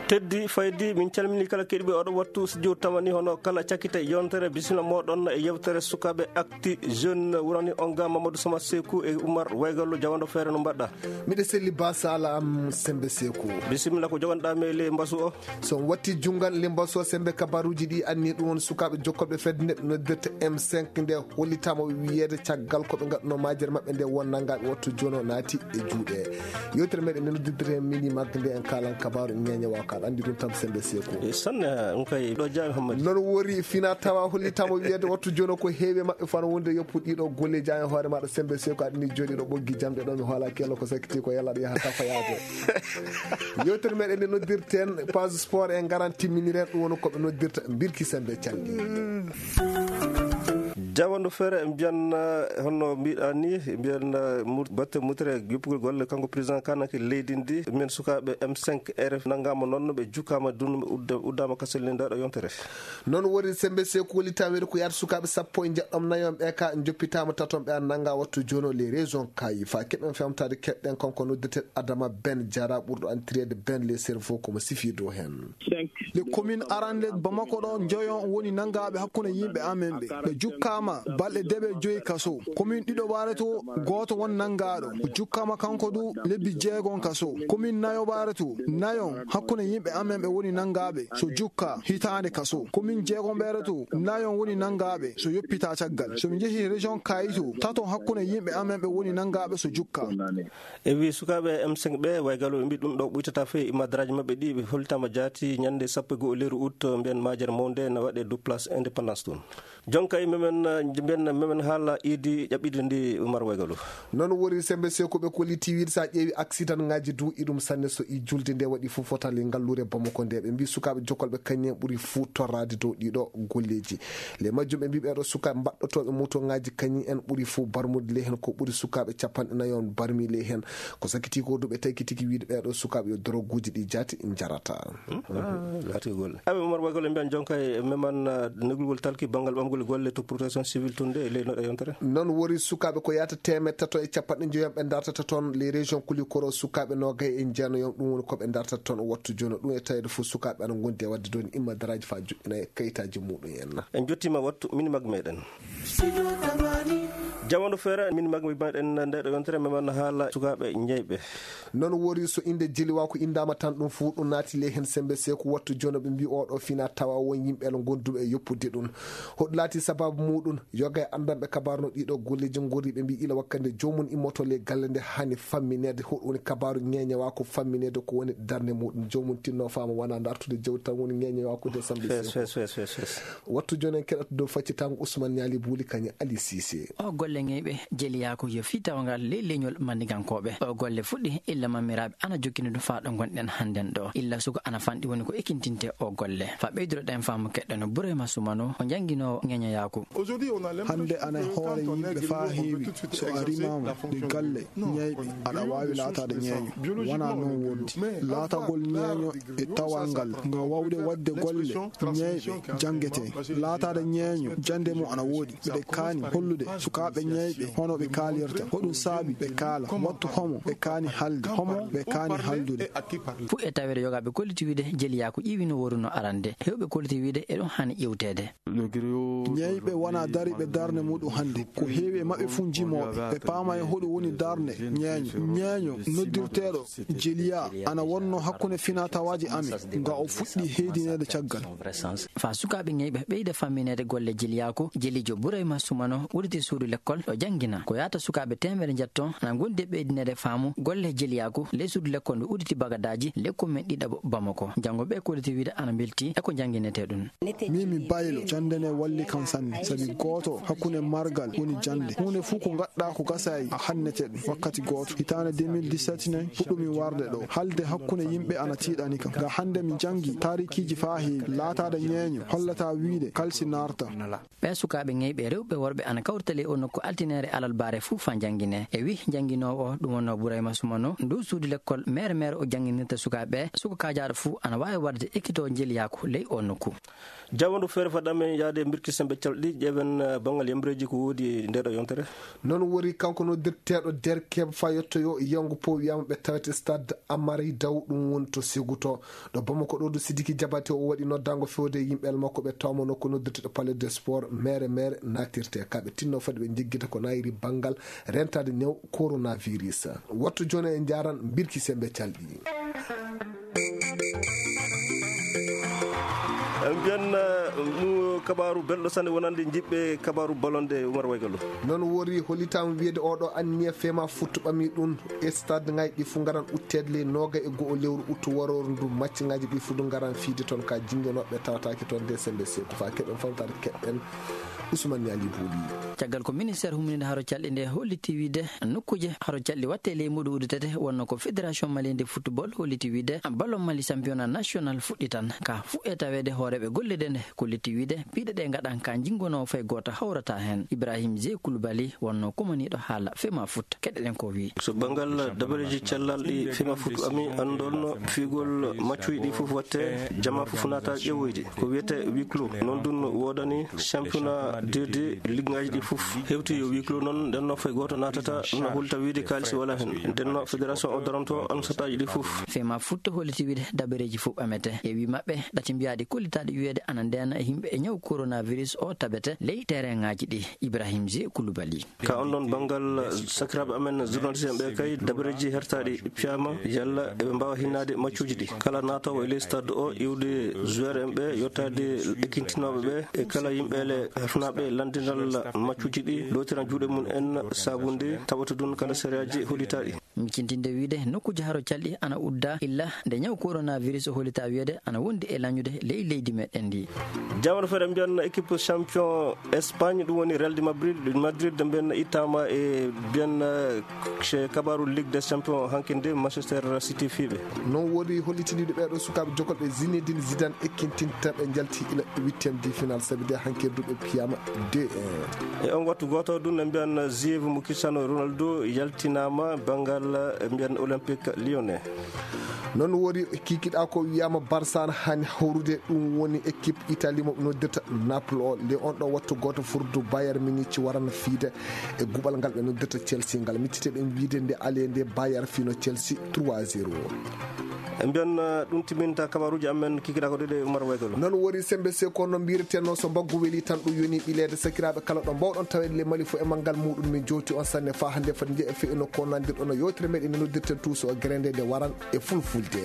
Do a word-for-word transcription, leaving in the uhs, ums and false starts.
Teddi Faydi, min calmini kala keɗiɓe oɗo wattu studio tamani, hono kala cakkite yontere, bisimilla moɗon e yewtere sukaɓe Actu Jeune. Wurani on ga Mamadou Sama Seku e Oumar Waygallo, jawando feere, no mbaɗɗa? Miɗo selli ba sala am Sembe Seku. Bisimilla, ko jogonɗa me le mbasu o? So on watti jungal le mbasu o Sembe, kabaruji ɗi anni ɗum on sukaɓe jokkoɓe fedde nde noddirta M cinq nde hollitama wiyeede caggal ko ɓe ngaɗno majere maɓɓe nde won nangaɓe wattu jono naati e juuɗe. Yewtere meɗen nde noddirta mini magde nde en kalan kabaru ñeñe wa ko aɗa andi ɗum tan Sembe Seku. E sanne, on kay ɗo Jami Hammadi. Noon wori fina tawa hollitama wiyeede wattu jono ko heewi e maɓɓe fano wonde yoppu ɗiɗo golle Jami hoore maɗa Sembe Seku aɗani joɗiɗo ɓoggi jamɗe ɗo mi hoolaki yalla ko sakkiti ko yalla aɗa yaha tafa yaade. Yewtere meɗen nde noddirten page sport e ngaran timminiren ɗum woni ko ɓe noddirta mbirki Sembe calɗi. Jawando feere mbiyan, eh, honno mbiɗa ni, mbiyan, eh, mur-, batte mutere juppugol golle kanko président kanake leydi ndi, min sukaɓe M cinq R F nangama noon ɓe jukkama dun ɓe udda-, uddama kasel ni ndaɗo yontere. Noon woni Sembe Seku woni tawede ko yaata sukaɓe sappo e jeɗɗom nayon ɓe ka joppitama taton ɓe an nanga wattu jono les régions kayi fa keɓen femtade keɗɗen kanko noddete Adama Ben Jara ɓurɗo antirede Ben les cerveaux komo sifi dow hen. Les communes arande Bamako ɗo joyo woni nangaɓe hakkunde yimɓe amen ɓe. Ɓe jukkama balɗe deɓe joyi kaso. Commune ɗiɗo ɓaare to goto won nangaɗo. O jukkama kanko du lebbi jeegon kaso. Commune nayo ɓaare to nayon hakkunde yimɓe amen ɓe woni nangaɓe so jukka hitande kaso. Commune jeegon ɓeere to nayon woni nangaɓe so yoppita caggal. So mi jeehi région Kayito tato hakkunde yimɓe amen ɓe woni nangaɓe so jukka. E wi sukaɓe M cinq ɓe, Waygallo ɓe mbi ɗum ɗo ɓuytata fe, imadraji maɓɓe ɗi ɓe hollitama jaati ñande sappo e go'o lewru août, mbiyen majere mawnde na waɗe du place Indépendance ɗum. Jonka e memen, eh, mbiyen memen haala idi ƴaɓɓidi ndi Oumar Waygallo. Noon wori Sembe Seku ɓe kolliti wiide sa ƴeewi accident ngaji du iɗum sanne so i julde nde waɗi fof fotali ngallure Bamako nde ɓe mbi sukaɓe jokolɓe kañum en ɓuri fuu torrade dow ɗiɗo golleji. Le majjum ɓe mbi ɓeɗo sukaɓe mbaɗɗotoɓe moto ngaji kañum en ɓuri fuu barmude le hen ko ɓuri sukaɓe capanɗe nayon barmi le hen. Ko sakkiti ko du ɓe taykitiki wiide ɓeɗo sukaɓe yo doroguji ɗi jaati jarata. Hmm? Ah, laati ko golle. Aɓe Oumar Waygallo mbiyan jonka e meman, ah, negulgol talki banngal ɓamgol golle to protection civile tun de e ley noɗe yontere. Noon wori sukaɓe ko yata temed tato e capanɗe joyom ɓe dartata toon les régions kulikoro sukaɓe nogay e jeenayon ɗum woni ko ɓe dartata toon o wattu jono ɗum e tawede fof sukaɓe ana gondi e wadde dooni imma daraji fa joɗɗina e kayitaji muɗum en. En jottima wattu mini mag meɗen. Jawando feere, min magmi meɗen nde ɗo yontere, meman haala sukaaɓe ñeyɓe. Noon wori so innde Jeliwaaku inndaama tan, ɗum fuu ɗum naati ley heen. Semmbe Seeku wattu jono ɓe mbi oɗo fina tawa won yimɓe ala gonduɓe e yoppude ɗum. Hoɗum laati sabaabu muuɗum? Yoga e anndanɓe kabaaru no ɗiɗo golleeji ngorri, ɓe mbi ila wakkati nde joomum immoto ley galle nde haani fammineede. Hoɗum woni kabaaru ñeeñewaaku fammineede ko woni darnde muuɗum? Joomum tinno faama wona dartude jawdi tan woni ñeeñewaaku nde Semmbe Seeku. Wattu jooni en keɗoto dow faccitango Ousmane Niali Bouli kañum Ali Cissé. O golle ñeyɓe jeliyaaku yo fii tawngal ley leñol Mandigankooɓe. O golle fuɗɗi illa mammiraaɓe ana jokkini ɗum faa ɗo ngonɗen hannden ɗo. Illa suka ana fanɗi woni ko ekintinte o golle. Faa ɓeyduroɗen faamu keɗɗen no Burayma Sumano o jannginoowo ñeeñoyaaku. Hannde ana hoore yimɓe faa heewi so a rimaama ɗi galle ñeyɓe aɗa waawi laataade ñeeño. Wonaa noon wondi. Laatagol ñeeño e tawal ngal nga wawde waɗde golle ñeyɓe janngetee. Laataade ñeeño jannde mum ana woodi. Mbeɗe kaani hollude sukaaɓe ñeyɓe hono ɓe kaalirta. Hoɗum saabi ɓe kaala? Wattu homo ɓe kaani haalde? Homo ɓe kaani haaldude? Fuu e taweede yogaaɓe kolliti wiide jeliyaaku ƴiwi no woru no arande. Heewɓe kolliti wiide e ɗum haani ƴiwteede. Ñeyɓe wonaa dariiɓe darnde muɗum hannde. Ko heewi e maɓɓe fuu njimooɓe. Ɓe paama e hoɗum woni darnde ñeeño. Ñeeño noddirteeɗo jeliyaa ana wonno hakkunde finaa tawaaji amen, nga o fuɗɗi heydineede caggal. Faa sukaaɓe ñeyɓe ɓeyda fammineede golle jeliyaaku, jeliijo Burayma Sumano udditi suudu lekkol ɗo janngina. Ko yaata sukaaɓe teemedere njetto ana ngondi e ɓeydineede faamu golle jeliyaaku ley suudu lekkol ndu udditi bagadaaji ley kommin ɗiɗaɓo Bamako. Janngo ɓe kolliti wiide ana mbelti e ko njannginetee ɗum. Min mi baylo, jannde nde walli kam sanne, sabi gooto hakkunde margal woni jannde. Huunde fuu ko ngaɗɗaa ko gasaayi a hannete ɗum wakkati gooto. Hitaande deux mille dix-sept ne puɗɗumi warde ɗo. Haalde hakkunde yimɓe ana tiiɗani kam. Nga hannde mi janngi taarikiiji faa heewi. Laataade ñeeño hollataa wiide kalsi naarta. Ɓee sukaaɓe ñeyɓe rewɓe worɓe ana kawrita ley oo nokku altineere alarbaare fuu faa njannginee. E wi jannginoowo o, ɗum wonno Burayma Sumano, ndu suudu lekkol mere mere o jannginirta sukaaɓe ɓe, suka kaajaaɗo fuu ana waawi waɗde ekkito njeliyaako ley o nokku. Jawandu feere faɗɗa men yaade mbirki sembe calɗi, ƴeewen, eh, banngal yamreeji ko woodi e ndeeɗo yontere. Noon wori kanko noddirteeɗo derkeeɓe faa yottoyo Yango Po wiyaama ɓe tawete stade Amari Daw, ɗum woni to Seguto. Ɗo Bamako ɗo du Sidiki Jabate o waɗi noddaango fewde e yimɓe el makko ɓe tawama nokku noddirteeɗo Palais des Sports, mere mere naatirte. Ka ɓe tinno fade ɓe njeggita ko naayiri banngal rentaade new coronavirus. Wattu jooni en njaaran mbirki sembe calɗi. En mbiyan, eh, ɗum kabaaru belɗo sanne wonande jiɓɓe kabaaru balonde Umar Waygallo. Noon wori hollitaama wiyede oɗo anniya fema futtu ɓami ɗum e stade ngaji ɗi fu ngaran utteede ley nooga e go'o lewru uttu waroru ndu macci ngaji ɗi fu du ngaran fiide toon ka jingonoɓe tawataake toon de sembe seeku fa keɓen famtaade keɓen Ousmane Niali Bouli. Caggal ko ministère humninde haro calɗi nde holliti wiide nokkuuje haro calɗi watte ley muɗum udditete wonno ko Fédération Malienne de Football holliti wiide ballon Mali championnat national fuɗɗitan ka fuɗɗe taweede hooreeɓe golle ɗe nde ko letti wiide piiɗe ɗe ngaɗan ka jingono fay gooto hawrata heen. Ibrahim Zé Koulibaly wonno kumaniiɗo haala fema foot. Keɗoɗen ko wi. So banngal dabareeji cellaalɗi fema foot ami anndon fiigol maccuuji ɗi fof watte jama fof naata ƴeewoyde. Ko wiyete huis clos. Noon ɗum woodani championnat deux D liggaaji ɗi fof. Hewti yo huis clos noon, nden no fay gooto naatata, no hulta wiide kaalisi wala heen. Nden no fédération o daranto ansataaji ɗi fof. Fema foot holliti wiide dabareeji fof amete. E wi maɓɓe, ɗati mbiyaaɗi kollitaaɗi wiyeede ana ndeena e yimɓe e ñaw coronavirus o tabete ley terrainŋaaji ɗi. Ibrahim Zé Koulibaly. Ka on ɗon banngal, sakiraaɓe amen journaliste en ɓe kay, dabareeji hertaaɗi piyaama, yalla eɓe mbaawa hinnaade maccuuji ɗi. Kala naatoowo e ley stade o, iwde joueur en ɓe, yottaade ekkintinooɓe ɓe, e kala yimɓe le hertunaaɓe lanndinal maccuuji ɗi, lootiran juuɗe mum en, sabu nde taɓata ɗum kala sariyaaji hollitaaɗi. Micintinde wiide nokkuuji haro calɗi ana udda illa nde ñaw coronavirus o hollita wiyeede ana wondi e lañude ley leydi meɗen ndi. Jaamano feere mbiyan équipe champion Espagne, ɗum woni Real de Madrid, Madrid mbiyan ittaama e mbiyan, eh, chez kabaru Ligue des Champions hanki nde Manchester City fiiɓe. Noon woni hollitiniiɗo ɓeeɗo sukaaɓe jokolɓe Zinedine Zidane ekkintinta ɓe njalti ila huitième de finale sabi de hanki du ɓe piyaama deux un. E on wattu gooto ɗum ne mbiyan Ziyech mo Cristiano Ronaldo yaltinaama banngal, eh, mbiyan Olympique Lyonnais. Noon woni kikiɗa ko wiyaama Barça na hani hawrude, ɗum woni équipe Italie mo ɓe noddirta Naples o. Le on ɗo wattu gooto furdu Bayern Munich warana fiide e guɓal ngal ɓe noddirta Chelsea ngal. Micciteɗen wiide nde ale nde Bayern fino Chelsea trois zéro. E mbiyan, eh, ɗum timinta kabaruji amen kikiɗa ko ɗeɗe Umar Waygalo. Noon woni sembe se ko no mbireteno so mbaggu weli tan ɗum yoni ɓileede sakiraaɓe kala ɗo mbawɗon taweede le Mali fo e manngal muɗum min jowti on sanne fa hannde foti nje e fe ino ko nandirɗon no yewtere meɗen noddirten tuuso o gerende nde waran e fulfulde.